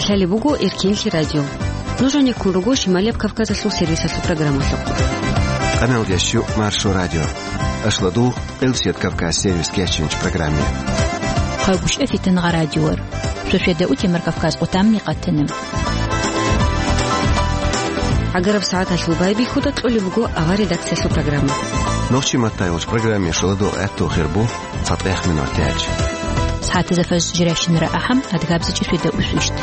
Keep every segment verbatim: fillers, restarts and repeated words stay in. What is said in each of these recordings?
Лъалеб буго Эркенлъи радио. Нуж гьанеккун руго Шималияб Кавказалъул сервисалъул программалъухъ. Къаналдияс щук Маршо радио. Ашладул Элсият Кавказ сервис кечинч программе. Хъагушев Фитангъа радиор. Сосиада утемар Кавказ къутамни къатана. Агараб сагӀаталъул байбихьуда кьолеб буго авар редакциялъул программа. Нохчи маттайгъуч программе шоладул гӀатту хирбу. ЦатӀехъ минут гьечӀ. СагӀатазда фажр жиращинара ахӀам, адгабзичӀи светда усвищт.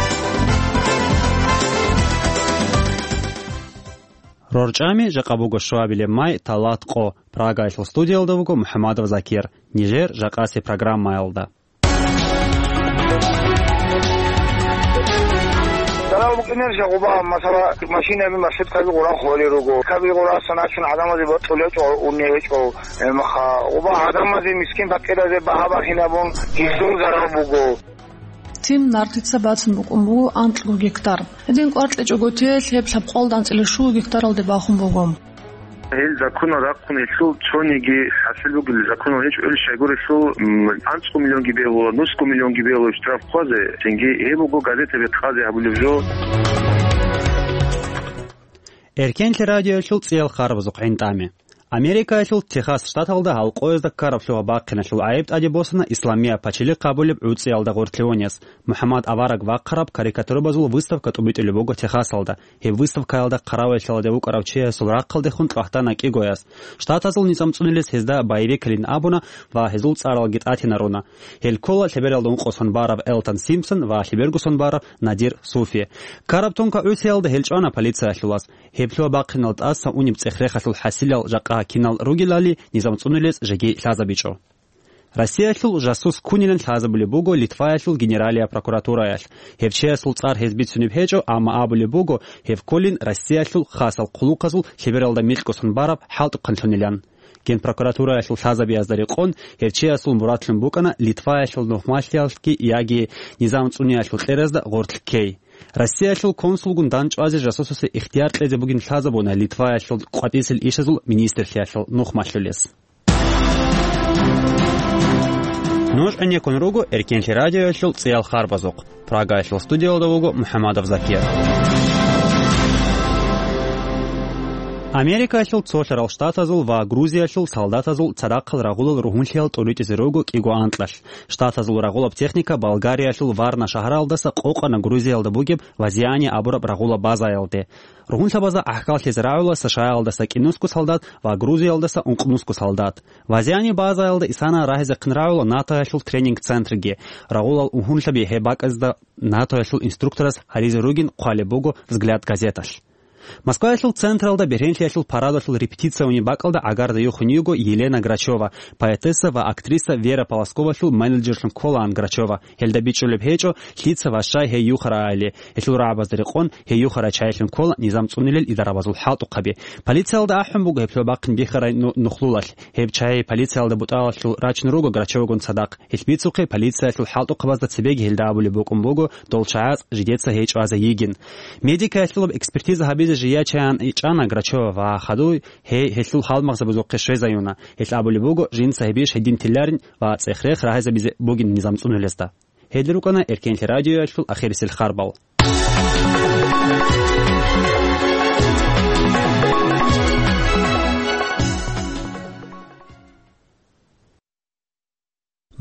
РорчӀами жакъа буго щуабилеб май, талат къо. Прагаялъул студиялда вуго МухӀамадов Закир. Нижер жакъаси программаялда. Дарал букӀинер жагъуба, масала, машинаби, маршруткаби гъура холи руго. Каби гъура саначун гӀадамазе батӀулечӀо, унегьечӀо. Гьебмаха, гъуба гӀадамазе, мискин-пакъиразе багьа-багьинабун гьезул зарал буго. Тим нартица бацун букӀун буго анкьго гектар. Гьедин кӀвар кьечӀого те лъеб лъабкъоялда анцӀила щуго гектаралде бахун буго. Гьел законал рахъун гьелъул цониги хӀасил бугел законал гьечӀо, ил щайгурелъул, м, анцӀго миллионги бегьула, нусго миллионги бегьула штраф хъвазе, цинги гьеб буго газетаби кьазе гьабулеб жо. Эркенлъи радиоялъул цӀиял харбазухъ гӀинтӀаме. Америкаялъул Техас штаталда гьалкъоязда ккараб лъугьа-бахъиналъул гӀайиб тӀаде босана Исламия Пачелихъ абулеб гӀуцӀиялда гъоркьлъиванияс. МухӀаммад авараг вахъараб карикатурабазул выставка тӀубитӀулеб буго Техасалда. Гьеб выставкаялда хъараваялъаладе вукӀарав чиясул рахъалдехун кьвагьтана кӀигояс. Штатазул низам цӀунулес гьезда боевикалин абуна ва гьезул цӀаралги тӀатинаруна. Гьел ккола лъебералда ункъо сон бараб Элтон Симпсон ва лъеберго сон бараб Надир Суфи. Ккараб тонкагӀусиялда гьел чӀвана полициялъулас. Гьеб лъугьа-бахъинал тӀаса унеб цӀех-рехалъул хӀасилал жакъа кинал ругелали низам цӀунулес жеги лъазабичӀо. Россиялъул жасус ккунилан лъазабулеб буго Литваялъул Генералияб прокуратураялъ. Гьев чиясул цӀар гьез бицунеб гьечӀо, амма абулеб буго, гьев кколин Россиялъул хасал хъулухъазул лъебералда микьго сон бараб хӀалтӀухъанлъунилан. Генпрокуратураялъул лъазабиязда рекъон, гьев чиясул мурадлъун букӀана Литваялъул нухмалъиялъги яги низам цӀуниялъул кьеразда гъоркь ккей. Россиялъул консулгун дандчӀвазе жасусасе ихтияр кьезе бугин лъазабуна Литваялъул къватӀисел ишазул министрлъиялъул нухмалъулес. Нуж гӀенеккун руго Эркенлъи радиоялъул цӀиял харбазухъ. Прагаялъул студиялда вуго МухӀаммадов Закир. Америкаялъул цолъарал штатазул ва Грузиялъул солдатазул цадахъал рагъулал ругьунлъиял тӀуритӀизе руго кӀиго анкьалъ. Штатазул рагъулаб техника Болгариялъул Варна шагьаралдаса къокъана Грузиялда бугеб Вазиани абураб рагъулаб базаялде. Ругьунлъабазда гӀахьаллъизе рагӀула США-ялдаса кӀинусго солдат ва Грузиялдаса ункънусго солдат. Вазиани базаялда исана рагьизехъин рагӀула НАТОялъул тренинг-центрги. Рагъулал угьунлъаби гьеб бакӀазда НАТОялъул инструкторас гьаризе ругин хъвалеб буго «Взгляд» газеталъ. Москваялъул централда бергьенлъиялъул парадалъул репетиция унеб бакӀалда гӀагарда юхун йиго Елена Грачева, поэтесса ва актриса Вера Полосковалъул менеджерлъун кколаан Грачева. Гьелда бичӀчӀулеб гьечӀо, лъица ва щай гьей юхарайали. Гьелъул рагӀабазда рекъон, гьей юхарай чайилъун ккола низам цӀунилел идарабазул хӀалтӀухъаби. Полициялда ахӀун буго гьеб лъугьа-бахъин бихьарай ну-, нухлулалъ. Гьеб чай полициялда бутӀалалъул рачун руго Грачевагун цадахъ. Гьелъ бицухъе полициялъул хӀалтӀухъабазда цебеги гьелда абулеб букӀун буго, дол чагӀаз жидеца гьей чӀвазе йигин. Медикаялъулаб экспертиза гьабизе жия чаян ичӀана Грачева ва хадуй гьей гьелъул гьалмагъзабазухъе щвезаюна. Гьелъ абулеб буго, жинца гьебищ гьедин теларин ва цӀех-рех рагьизабизе бугин низам цӀунулезда. Гьел рукӀана Эркенлъи радиоялъул ахирисел харбал.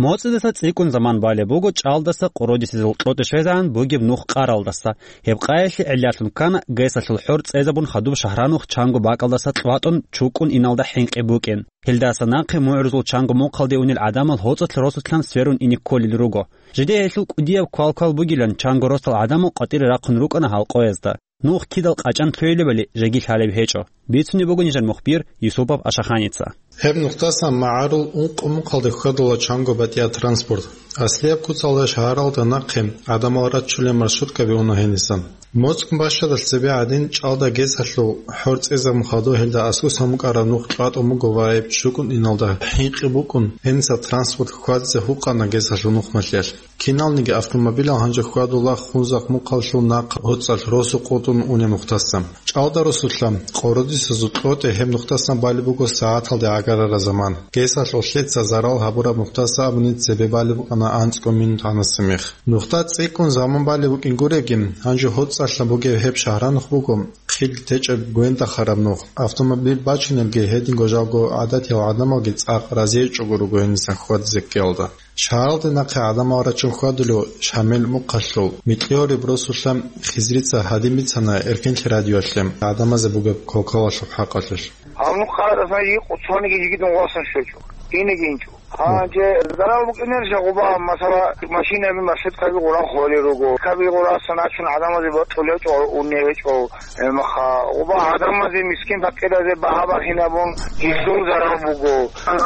МоцӀидаса цӀикӀкӀун заман балеб буго чӀалдаса къородисезул кьотӀи щвезегӀан бугеб нух къаралдаса. Гьеб къаялъе гӀиллалъун ккана ГЭСалъул хӀор цӀезабун хадуб шагьранух чанго бакӀалдаса кьватӀун чукӀун иналда хӀинкъи букӀин. Гьелдаса нахъе мугӀрузул чанго мухъалде унел гӀадамал гьоцӀалъ росулъан сверун ине кколел руго. Жидее гьелъул кӀудияб квал-квал бугилан чанго росал гӀадамал къватӀире рахъун рукӀана гьалкъоязда. Нух кидал къачӀан лъугьилебали жеги лъалеб гьечӀо. Бицунеб буго нижер мухбир Юсупов Ашаханица. Гьеб нухдасан магӀарул ункъо мухъалде хьвадула чанго батӀияб транспорт. Аслияб куцалда шагьаралда нахъе гӀадамал раччулел маршруткаби уна гьенисан. МоцӀ бащадалъ цебе гӀадин, чӀалда ГЭСалъул хӀор цӀезабун хадуб гьелда аскӀосан букӀараб нух кьватӀун буго ва гьеб чукӀун иналда хӀинкъи букӀун, гьениса транспорт хьвадизе гьукъана ГЭСалъул нухмалъиялъ. Киналниги автомобилал гьанже хьвадула Хунзахъ мухъалъул нахъа гьоцӀалъ росу къотӀун унеб нухдасан. ЧӀалда росулъа къородис Цо зутлъоте гьеб нухдасан балеб буго сагӀаталде гӀагарараб заман. Гесалъ лъеца зарал гьабураб нухдаса абуни цебе балеб букӀана анцӀго минут гьанасе мех. Нухда цӀикӀкӀун заман балеб букӀин гуреги, гьанже гьоцӀалъа бугеб гьеб шагьранухъ буго хил течӀеб гвендахараб нух. Автомобиль бачунелги гьединго жалго гӀадатиял гӀадамалги цӀакъ разиечӀого руго гьенисан хьвадизе ккеялда. Шагьаралде нахъе гӀадамал рачун хьвадулев Шамил мухъалъул, микьи гьориб росулъа хизрица гьадин бицана Эркенлъи радиоялъе гӀадамазе бугеб кокалалъул хӀакъалъулъ. Гьаниб къарадасан йикъу цониги жигитун васан щвечӀо, инеги инчӀо. Гьанже зарал букӀинарищ гъуба, масала, машинаби, маршруткаби гъуран холел руго. Каби гъурасан ачун гӀадамазе батӀулечӀо, уневечӀо. Гьебмаха, гъуба гӀадамазе, мискин-пакъиразе багьа бахинабун, гьелъул зарал буго.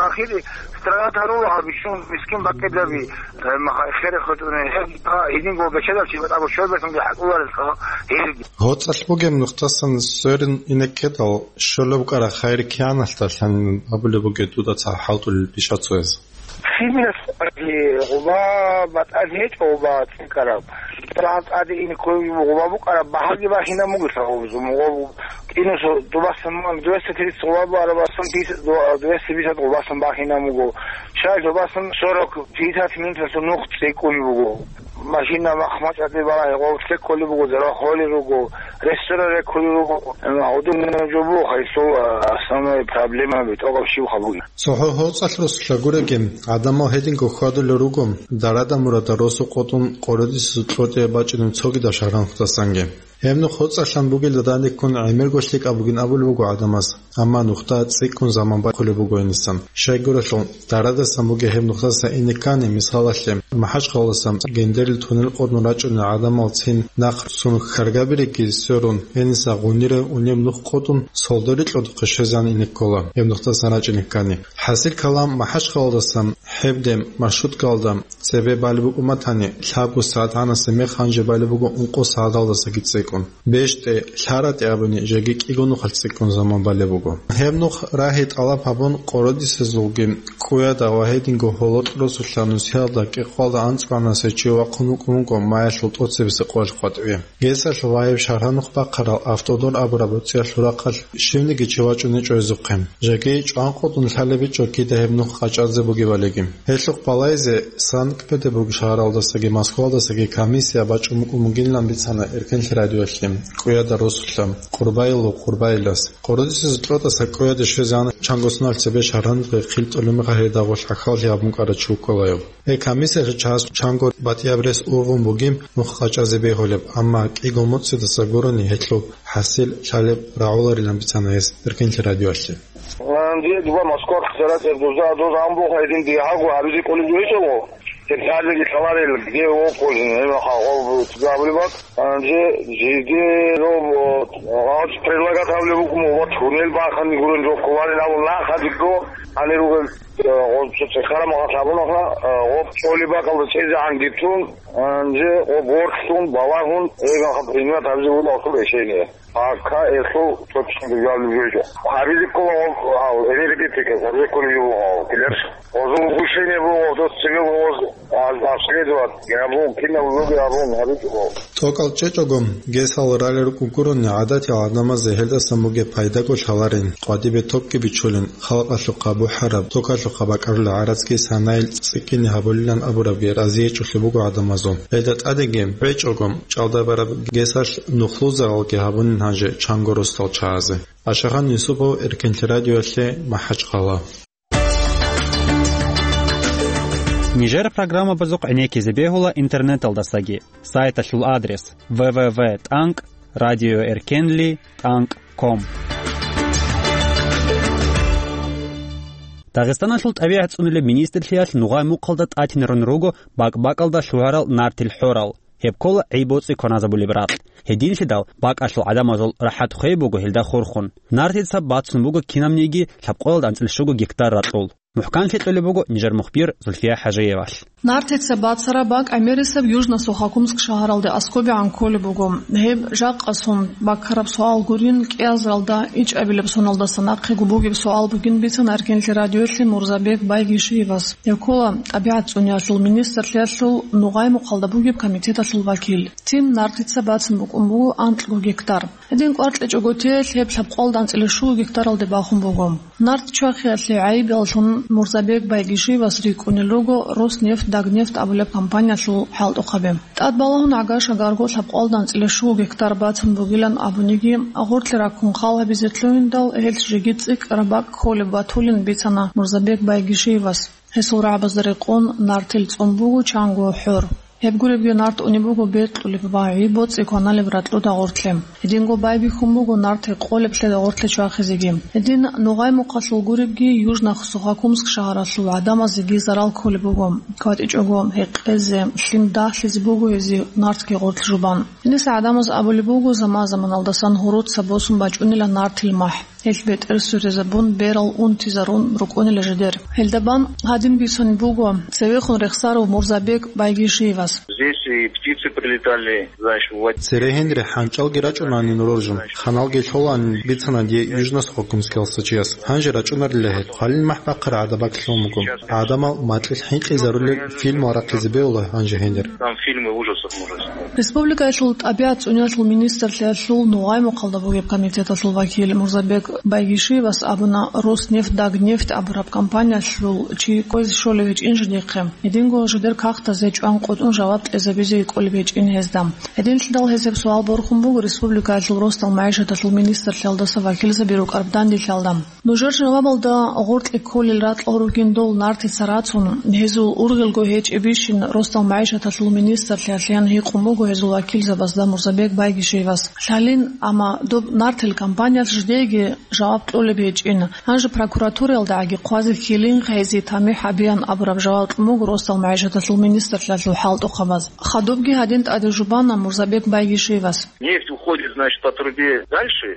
Ахир страна тарул гьаб бищун мискин-пакъираби, гьебмаха, эхере хутӀуне, гьеб, гьединго бечедав чи батӀаго щойбасунги хӀакъуларелъул гьелги. ГьоцӀалъ бугеб нухдасан сверун инеккедал, щолеб букӀараб хайир кигӀаналъда лъанин абулеб бугеб дуда цо хӀалтӀулел бища цояз. Сибиралъ гъуба батӀалъи гьечӀо, гъуба цӀикӀкӀараб. ТӀад-, тӀаде ине кколеб гъуба букӀараб багьаги бахинаб бугелъа гъобзу, мугъ-, кинусо дубасан ман двести тридцать гъуба буараб, асан пятьдесят, двести пятьдесят гъубасан бахинаб буго. Щай дубасан сорок пятьдесят минуталъул нух цӀикӀкӀунеб буго. Машина махмачӀаде балагьи гъов цӀикӀкӀолеб буго, зара холел руго, ресторан реккулел руго. Гьудул жо буго гьесул, а, основной проблемаби тӀокӀаб щибха бугеб. ЦохӀо гьоцӀалъ росулъа гуреги, гӀадамал гьединго хьвадулел руго, дарада-мурада росу къотӀун къородиса кьотӀияб бачӀунеб цогидаб шагьар нухдасанги. Гьеб нух гьоцӀалъан бугелда данде ккун гӀемерго лъикӀаб бугин абулеб буго гӀадамаз, амма нухда цӀикӀкӀун заман бахъулеб буго гьенисан. Щайгурелъул, дарадасан бугеб гьеб нухдаса ине ккани, мисалалъе, МахӀачхъалаялдасан Гендерил туннел къотӀун рачӀунел гӀадамал цин нахъ цун хьаргабиреги сверун, гьениса гъунира унеб нух къотӀун, Солдори кьодухъе щвезегӀан ине ккола, гьеб нухдасан рачӀине ккани. ХӀасил калам, МахӀачхъалаялдасан гьебде маршруткаялда цебе балеб букӀун батани, лъабго сагӀат гьанасе мех гьанже балеб буго ункъо сагӀаталдасаги цӀикӀкӀун. БещтӀе, лъаратӀе абуни, жеги кӀиго нухалъ цӀикӀкӀун заман балеб буго. Гьеб нух рагьи тӀалаб гьабун, къородисезулги кӀуяда ва гьединго гьоло кьуросулъа нусиялда кӀикъоялда анцӀгоянасе чи вахъун вукӀун вуго маялъул тӀоцебесеб къоялъ къватӀиве. Гесалъ ва гьеб шагьар нух бахъарал Автодор абураб боцӀиялъул рахъалъ щивниги чи вачӀунечӀо гьезухъе. Жеги чӀван къотӀун лъалеб гьечӀо кида гьеб нух къачӀазе бугебалиги. Гьелъухъ балайзе Санкт-Петербург шагьаралдасаги Москвалдасаги комиссия бачӀун букӀун бугилан бицана Эркенлъи радиоялъе кӀуяда росулъа Къурбайилов Къурбайилас. Къородисезул кьотӀаса кӀуяде щвезегӀан чанго соналъ цебе шагьаралъе хил тӀолеб мехалъ гьелда гъорлъ хӀалхьаллъи гьабун кӀварав чи вукӀунаро. Гьеб комиссиялъул чагӀаз чанго батӀияб рес ургъун бугеб нух къачӀазе бегьулеб, амма кӀиго моцӀидаса гурони гьелъул хӀасил лъалеб рагӀуларилан бицана гьес Эркенлъи радиоялъе. Гьанже дуба Москва хъизарат гьеб дуза, дуза амбухъ гьедин дигьаго гьабизе кӀолеб гьечӀого, гьеб лъалеги лъаларел, где окозин, гьеб хагъов цӀикӀкӀабулеб бакӀ. Гьанже жиде роб, о, гъалч предлагат гьабулеб букӀун, вот, гьунел бахъани гурун жо кколарин абун нахъа дигго, гьанир ругел, э, гъо-, цо цӀехараб махалъ гьабунаха, э, гъоб чӀолеб бакӀалда чӀезегӀан гитун, гьанже гъоб ворхьлъун, балагьун, гьеб махалъ принимать гьабизе буго гьасул решение. Пока гьелъул точно жаваб гьечӀо. Гьабизе ккола гьал энергетика, гьабизе ккола югьал килер. Гъозул решение буго, гъоз цеве гъоз, а, обследовать, гьабун, кинаб луги гьабун, гьабичӀого. ТӀокӀал чӀечӀого, гьесал ралел рукӀун гурони гӀадатиял гӀадамазда гьелдасан бугеб пайдаго лъаларин, къватӀибе топги бичулин, халкъалъухъа бухӀараб, токалъухъа бакӀарулел гӀарацги санаил цӀикӀкӀине гьабулилан абурабги разиечӀолъи буго гӀадамазул. Гьелда тӀадеги, гьечӀого, чӀалдабараб гьесалъ нухлузаралги гьабунин гьанже чанго росдал чагӀазе. Ашахан Юсупов, Эркенлъи радиоялъе, МахӀачхъала. Нижер программабазухъ гӀенеккизе бегьула интернеталдасаги. Сайталъул адрес: в в в тӀанкӀ радиоэркенли тӀанкӀ ком. Дагъистаналъул тӀабигӀат цӀунулеб министрлъиялъ нугъай мухъалда тӀатинарун руго бакӀ-бакӀалда лъугьарал нартил хӀорал. Гьеб ккола гӀи-боцӀи кваназабулеб ракь. Гьединлъидал бакӀалъул гӀадамазул рахӀат хвей буго гьелда хурхун. Нартица бацун буго кинабниги лъабкъоялда анцӀила щуго гектар ракьул. МухӀканлъи кьолеб буго нижер мухбир Зульфия ХӀажиевалъ. Нартица бацараб бакӀ гӀемерисеб Южно-Сухокумск шагьаралде аскобегӀан кколеб буго. Гьеб жакъасун баккараб суал гурин, кӀиазаралда ичӀабилеб соналдаса нахъего бугеб суал бугин бицана Эркенлъи радиоялъе Мурзабек Байгишиевас. Гьев ккола тӀабигӀат цӀуниялъул министрлъиялъул Нугъай-Мухъалда бугеб комитеталъул вакил. Тим нартица бацун букӀун буго анкьго гектар. Гьедин кӀвар кьечӀого теялъ гьеб лъабкъоялда анцӀила щуго гектаралде бахун буго. Нарт чвахиялъе гӀайибаллъун Мурзабек Байгишиевас рикӀкӀунел руго Роснефть-Дагнефть абулеб компаниялъул хӀалтӀухъаби. ТӀад балагьун гӀага-шагарго лъабкъоялда анцӀила щуго гектар бацун бугилан абуниги, гъоркье раккун хал гьабизе лъугьиндал, гьелъ жеги цӀикӀкӀараб бакӀ кколеб батулин бицана Мурзабек Байгишиевас. Гьесул рагӀабазда рекъон нартил цӀун буго чанго хӀор. Гьеб гуребги нарт унеб буго бекьулеб ва гӀи-боцӀи кваналеб ракьуда гъортлъе. Гьединго байбихьун буго нарт гьекъолеб лъеда гъортлъе чвахизеги. Гьедин Нугъай-Мухъалъул гуребги Южно-Сухокумск шагьаралъул гӀадамазеги зарал кколеб буго. КватӀичӀого гьекъезе, лъим дагьлъизе буго гьезие нартги гъортлъ жубан. Гьениса гӀадамаз абулеб буго, заман-заманалдасан гьуруца босун бачӀунила нартил махӀ. Гьелъ бетӀер сверизабун, берал унтизарун рукӀунила жидер. Гьелда бан гьадин бицунеб буго цевехун рехсарав Мурзабек Байгишиевас. Здесь и птицы прилетали, знаешь, в... Цере гьенре хӀанчӀалги рачӀунаанин роржун, ханалги лъолаанин бицана дие Южно-Сухокумскиялдаса чияс. Гьанже рачӀунарила гьел. Хвалил махӀ бахъараб гӀадабаклъун буго. ГӀадамал макьилъ хӀинкъизарулел фильмал рахъизе бегьула гьанже гьенир. Там фильмы ужасов можно снимать. Республикаялъул тӀабигӀат цӀуниялъул министрлъиялъул Нугъай-Мухъалда бугеб комитеталъул вакил Мурзабек Байгишиевас абуна, Роснефть-Дагнефть абураб компаниялъул чи кквезе щолеб гьечӀин жидехъе. Гьединго жидер кагътазе чӀван къотӀун жаваб кьезабизе кӀолеб гьечӀин гьезда. Гьединлъидал гьесиб суал борхун буго республикаялъул росдал магӀишаталъул министрлъиялдаса вакилзаби рукӀараб дандилъалда. Нужер жавабалда гъоркье кколел ракьал ругин дол нартица рацун, гьезул ургъелго гьечӀебищин росдал магӀишаталъул министрлъиялъеян гьикъун буго гьезул вакилзабазда Мурзабек Байгишиевас. Лъалин, амма доб нартил компаниялъ жидееги жаваб кьолеб гьечӀин. Гьанже прокуратураялдагӀаги хъвазе хьилин гьезие тамихӀ гьабеян абураб жаваб кьун буго росдал магӀишаталъул министрлъиялъул хӀалтӀухъабаз. Хадубги гьадин тӀаде жубана Мурзабек Байгишиевас. Нефть уходит, значит, по трубе дальше.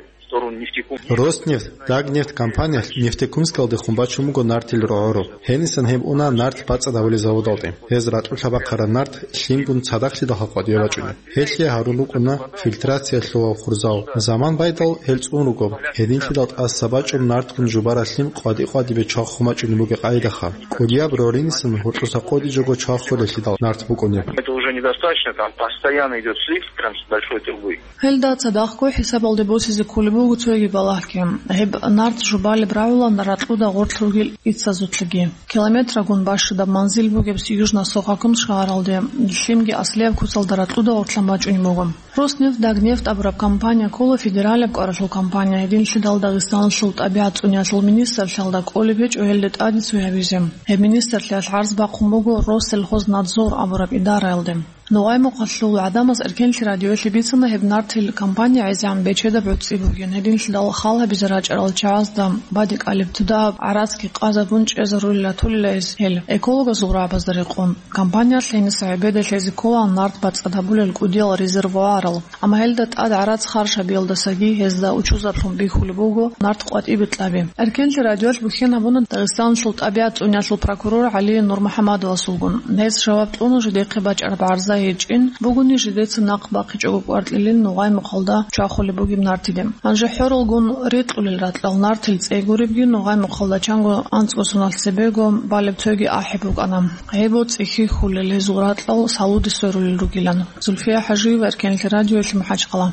Роснефть, Дагнефть компаниялъ Нефтекумскалдехун бачун буго нартил рогӀору. Гьенисан гьеб уна нарт бацӀцӀадабулел заводалде. Гьез ракьулъа бахъараб нарт лъимгун цадахълъидалха къватӀиве бачӀунеб. Гьелъие гьарун рукӀуна фильтрациялъулав хурзал. Заман байдал гьел цӀун руго. Гьединлъидал тӀаса бачӀун нартгун жубараб лъим къватӀи-къватӀибе чвахун бачӀунеб бугеб къайдаха. КӀудияб рогӀринисан гьоркьоса къотӀичӀого чвахулелъидал нарт букӀунеб. Это уже недостаточно, там постоянно идёт слив прям с большой трубы. Гьелда цадахъго хӀисабалде босизе кколеб буго цоги балагьги. Гьеб нарт жубалеб рагӀула ракьуда гъорлъ ругел иццазулъги. Километрагун бащадаб манзил бугеб Южно-Сухокумск шагьаралде лъимги аслияб куцалда ракьуда гъорлъан бачӀунеб буго. Роснефть-Дагнефть абураб компания ккола федералияб кӀваралъул компания, гьединлъидал Дагъистаналъул тӀабигӀат цӀуниялъул министрлъиялда кӀолеб гьечӀо гьелде тӀаде цо гьабизе. Гьеб министрлъиялъ гӀарз бахъун буго Россельхознадзор абураб идараялде. Нугъай-Мухъалъул гӀадамаз Эркенлъи радиоялъе бицана гьеб нартил компания гӀезегӀан бечедаб гӀуцӀи бугин, гьединлъидал хал гьабизе рачӀарал чагӀазда бадикӀалеб тудагьаб гӀарацги къазабун чӀезарулел ратулила гьез гьел. Экологазул рагӀабазда рекъон, компаниялъ гьениса гӀебеда лъезе ккола нарт бацӀцӀад гьабулел кӀудиял резервуарал, амма гьелда тӀад гӀарац харж гьабиялдасаги гьезда учузаблъун бихьулеб буго нарт къватӀибе кьаби. Эркенлъи радиоялъ бухьен гьабуна Дагъистаналъул тӀабигӀат цӀуниялъул прокурор ГӀали НурмухӀамадовасулгун. Гьес жаваб кьуна жидехъе бачӀараб гӀарза гьечӀин бугони жидеца нахъ бахъичӀого кӀваркьилин Нугъай-Мухъалда чвахулеб бугеб нартиде. Гьанже хӀоралгун рикьулел ракьал нартил цӀей гуребги Нугъай-Мухъалда чанго анцӀго соналъ цебего балеб цоги ахӀи букӀана. ГӀеб-боцӀи хьихьулел гьезул ракьал салуде сверулел ругилан. Зульфия ХӀажиева, Эркенлъи радиоялъе, МахӀачхъала.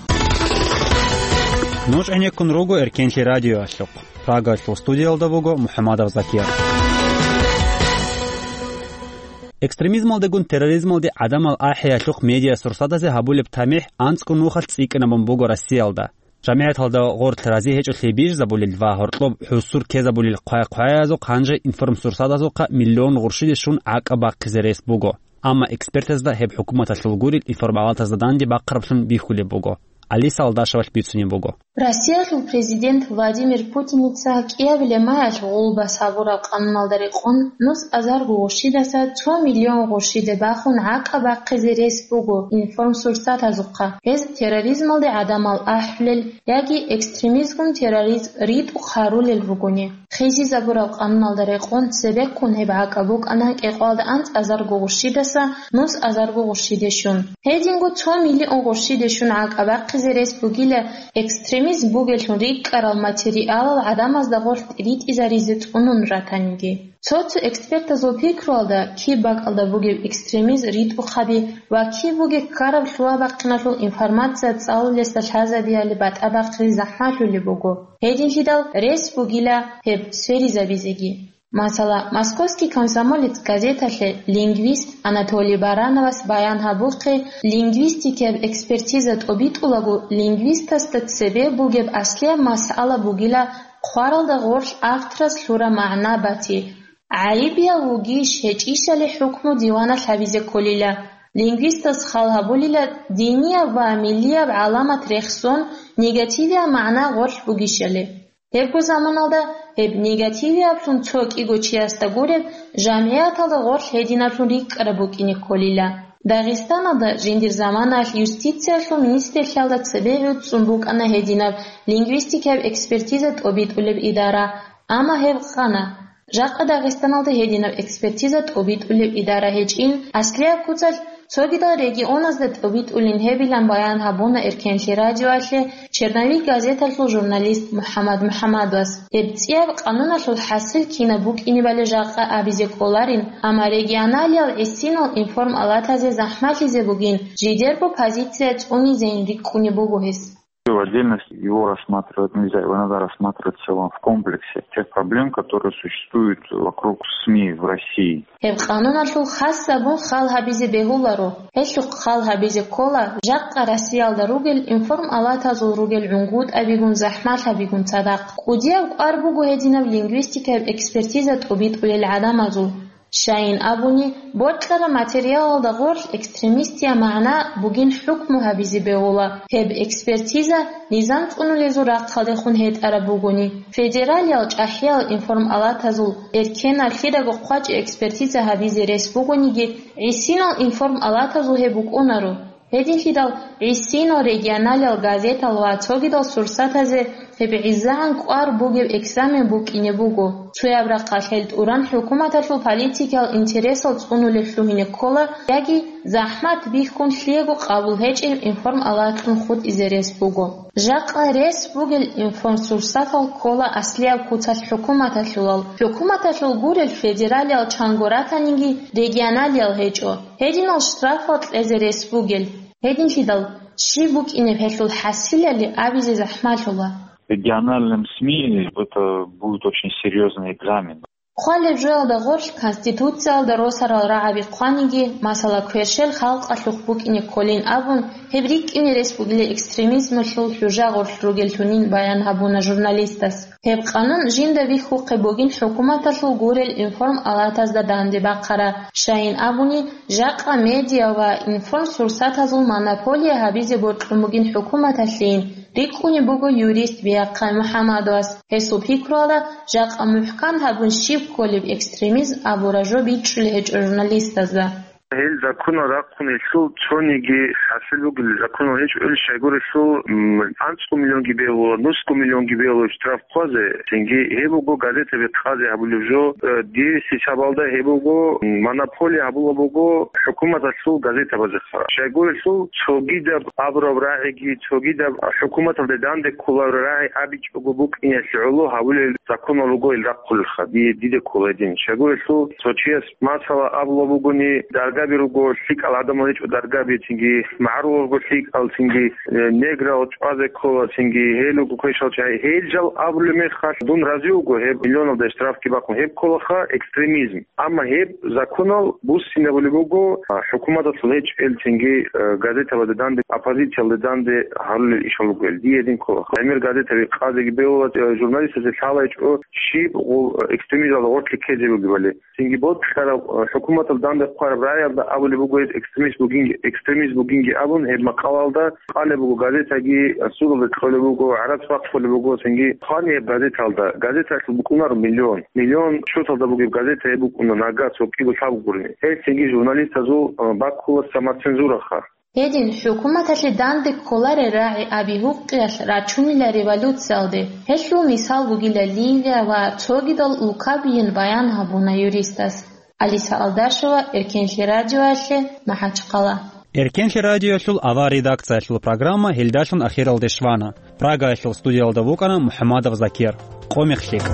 Нуж гӀенеккун руго Эркенлъи радиоялъухъ. Прагаялъул студиялда буго МухӀамадов Закир. Экстремизмалдегун терроризмалде гӀадамал ахӀиялъухъ медиасурсатазе гьабулеб тамихӀ анцӀго нухалъ цӀикӀкӀинабун буго Россиялда. ЖамигӀяталда гъорлъ рази гьечӀолъи бижизабулел ва гьоркьоб хӀусур ккезабулел хъвай-хъваязухъ гьанже информсурсатазухъа миллион гъурщиде щун гӀакӀаб бахъизе рес буго. Амма экспертазда гьеб хӀукуматалъул гурел информалатазда данде бахъараблъун бихьулеб буго. Алиса Алдашевалъ бицунеб буго. Россиялъул президент Владимир Путиница кӀиабилеб майалъ гъулбас гьабураб къануналда рекъон нус азарго гъурщидаса цо миллион гъурщиде бахун гӀакъа бахъизе рес буго информсурсатазухъа, гьез терроризмалде гӀадамал ахӀулел яги экстремизмгун терроризм ритӀухъ гьарулел ругони. Хисизабураб къануналда рекъон цебеккун гьеб гӀакъа букӀана кӀикъоялда анцӀазарго гъурщидаса нус азарго гъурщиде щун. Гьединго цо миллион гъурщиде щун гӀакъа бахъизе рес бугила экстремизм бугеллъун рикӀкӀарал материалал гӀадамазда гъорлъ ритӀизаризе цӀунун ратаниги. Цо-цо экспертазул пикруялда, киб бакӀалда бугеб экстремизм ритӀухъаби ва киб бугеб ккараб лъугьа-бахъиналъул информация цӀалулесда лъазабиялде батӀа бахъизе захӀмалъулеб буго. Гьединлъидал рес бугила гьеб сверизабизеги. Масала, «Московский комсомолец» газеталъе лингвист Анатолий Барановас баян гьабухъе, лингвистикияб экспертиза тӀобитӀулаго лингвистасда цебе бугеб аслияб масъала бугила хъваралда гъорлъ авторас лъураб магӀна бати, гӀайибияв вугищ гьечӀищали хӀукму диваналъ гьабизе кколила. Лингвистас хал гьабулила динияб ва миллияб гӀаламат рехсон негативияб магӀна гъорлъ бугищали. Гьебго заманалда гьеб негативияблъун цо кӀиго чиясда гуреб жамгӀияталда гъорлъ гьединаблъун рикӀкӀараб букӀине кколила. Дагъистаналда жиндир заманаялъ юстициялъул министрлъиялда цебе гӀуцӀцӀун букӀана гьединаб лингвистикаяб экспертиза тӀобитӀулеб идара, амма гьеб къана. Жакъа Дагъистаналда гьединаб экспертиза тӀобитӀулеб идара гьечӀин, аслияб куцалъ цогидал регионазда тӀобитӀулин гьебилан баян гьабуна Эркенлъи радиоялъе «Черновик» газеталъул журналист МухӀаммад МухӀаммадовас. Гьеб цӀияб къануналъул хӀасил кинаб букӀинебали жакъа абизе кӀоларин, амма регионалиял гӀисинал информалатазе захӀмалъизе бугин, жидерго позиция цӀунизейин рикӀкӀунеб буго гьес. В отдельности его рассматривать нельзя, его надо рассматривать в целом, в комплексе тех проблем, которые существуют вокруг СМИ в России. Гьеб къануналъул хас гьабун хал гьабизе бегьуларо. Гьелъухъ хал гьабизе ккола жакъа Россиялда ругел информалатазул ругел гӀунгутӀабигун, захӀмалъабигун цадахъ. КӀудияб кӀвар буго гьединаб лингвистикаяб экспертиза тӀубитӀулел гӀадамазул. Щайин абуни, бокьараб материалалда гъорлъ экстремистиял магӀна бугин хӀукму гьабизе бегьула. Гьеб экспертиза низам цӀунулезул рахъалдехун гьетӀараб бугони, федералиял чӀахӀиял информалатазул эркенаб лъидаго хъвачӀи экспертиза гьабизе рес бугониги, гӀисинал информалатазул гьеб букӀунаро. Гьединлъидал гӀисинал регионалиял газетал ва цогидал сурсатазе гьеб гӀезегӀан кӀвар бугеб экзамен букӀине буго. Цояб рахъалъ гьел тӀуран хӀукуматалъул политикиял интересал цӀунулеб лъугьине ккола яги захӀмат бихьун лъиего къабул гьечӀеб информалатлъун хутӀизе рес буго. Жакъа рес бугел информсурсатал ккола аслияб куцалъ хӀукуматалъулал. ХӀукуматалъул гурел федералиял чанго ратаниги регионалиял гьечӀо. Гьединал штрафал кьезе рес бугел. Гьединлъидал, щиб букӀинеб гьелъул хӀасилали абизе захӀмалъула. Региональным СМИ это будет очень серьёзный экзамен. Хъвалеб жоялда гъорлъ Конституциялда росарал рагӀаби хъваниги, масала, кверщел халкъалъухъ букӀине кколин абун, гьеб рикӀкӀине рес бугила экстремизмалъул хӀужа гъорлъ ругеллъунин баян гьабуна журналистас. Гьеб къанун жинда бихьухъе бугин хӀукуматалъул гурел информалатазда данде бахъара, щайин абуни, жакъа медиа ва информсурсатазул монополия гьабизе бокьун бугин хӀукуматалъейин, рикӀкӀунеб буго юрист Биахъай МухӀамадовас. Гьесул пикруялда, жакъа мухӀкан гьабун щиб кколеб экстремизм абураб жо бичӀчӀулеб гьечӀо журналистазда. Гьел законал рахъун гьелъул цониги хӀасил бугел законал гьечӀо, ил щайгурелъул, м, анцӀго миллионги бегьула, нусго миллионги бегьула штраф хъвазе, цинги гьеб буго газетаби къазе гьабулеб жо, э, дирси сабалда гьеб буго, м, монополия гьабула буго хӀукуматалъул газетабазеха. Щайгурелъул цогидаб абураб рагӀиги, цогидаб хӀукуматалде данде кколареб рагӀи абичӀого букӀиналъе гӀоло гьабулел законал руго ил рахъулелха, дие диде ккола гьедин. Щайгурелъул цо чияс масала абула бугони, даргаби руго, лъикӀал гӀадамал гьечӀо даргаби, цинги магӀарулал руго лъикӀал, цинги, э, неграл чӀвазе ккола, цинги гьел руго квешал чагӀи. Гьел жал абулеб мехалъ, дун рази вуго гьеб миллионалда штрафги бахъун, гьеб кколаха экстремизм. Амма гьеб законал буссинабулеб буго, а, хӀукуматалъул гьечӀел, цинги, э, газетабазда данде, оппозициялда данде гьарулел ишал ругел. Дие гьедин ккола. ГӀемер газетаби къазеги бегьула, э, журналистазе лъалайчӀо щиб гъу-, экстремизмалда гъорлъе ккезе бугебали. Цинги бокьараб, э, хӀукуматалда данде хъвараб рагӀи Абулеб буго гьез экстремист бугин, экстремист бугинги абун, гьеб макъалаялда къалеб буго газетаги, судалда кьолеб буго, гӀарац бахъулеб буго, цинги хъвани гьеб газеталда. Газеталъул букӀунаро миллион. Миллион счеталда бугеб газета гьеб букӀуна нагагь цо кӀиго лъабго гурони. Гьел цинги журналистазул, а, баккула самоцензураха. Гьедин, хӀукуматалъе данде кколарел рагӀи аби гьукъиялъ рачунила революциялде. Гьелъул мисал бугила Ливия ва цогидал улкабийин баян гьабуна юристас. Алиса Алдашева, Эркенлъи радиоялъе, МахӀачхъала. Эркенлъи радиоялъул авар редакциялъул программа гьелдалъун ахиралде щвана. Прагаялъул студиялда вукӀана МухӀамадов Закир. Къо мех лъикӀ.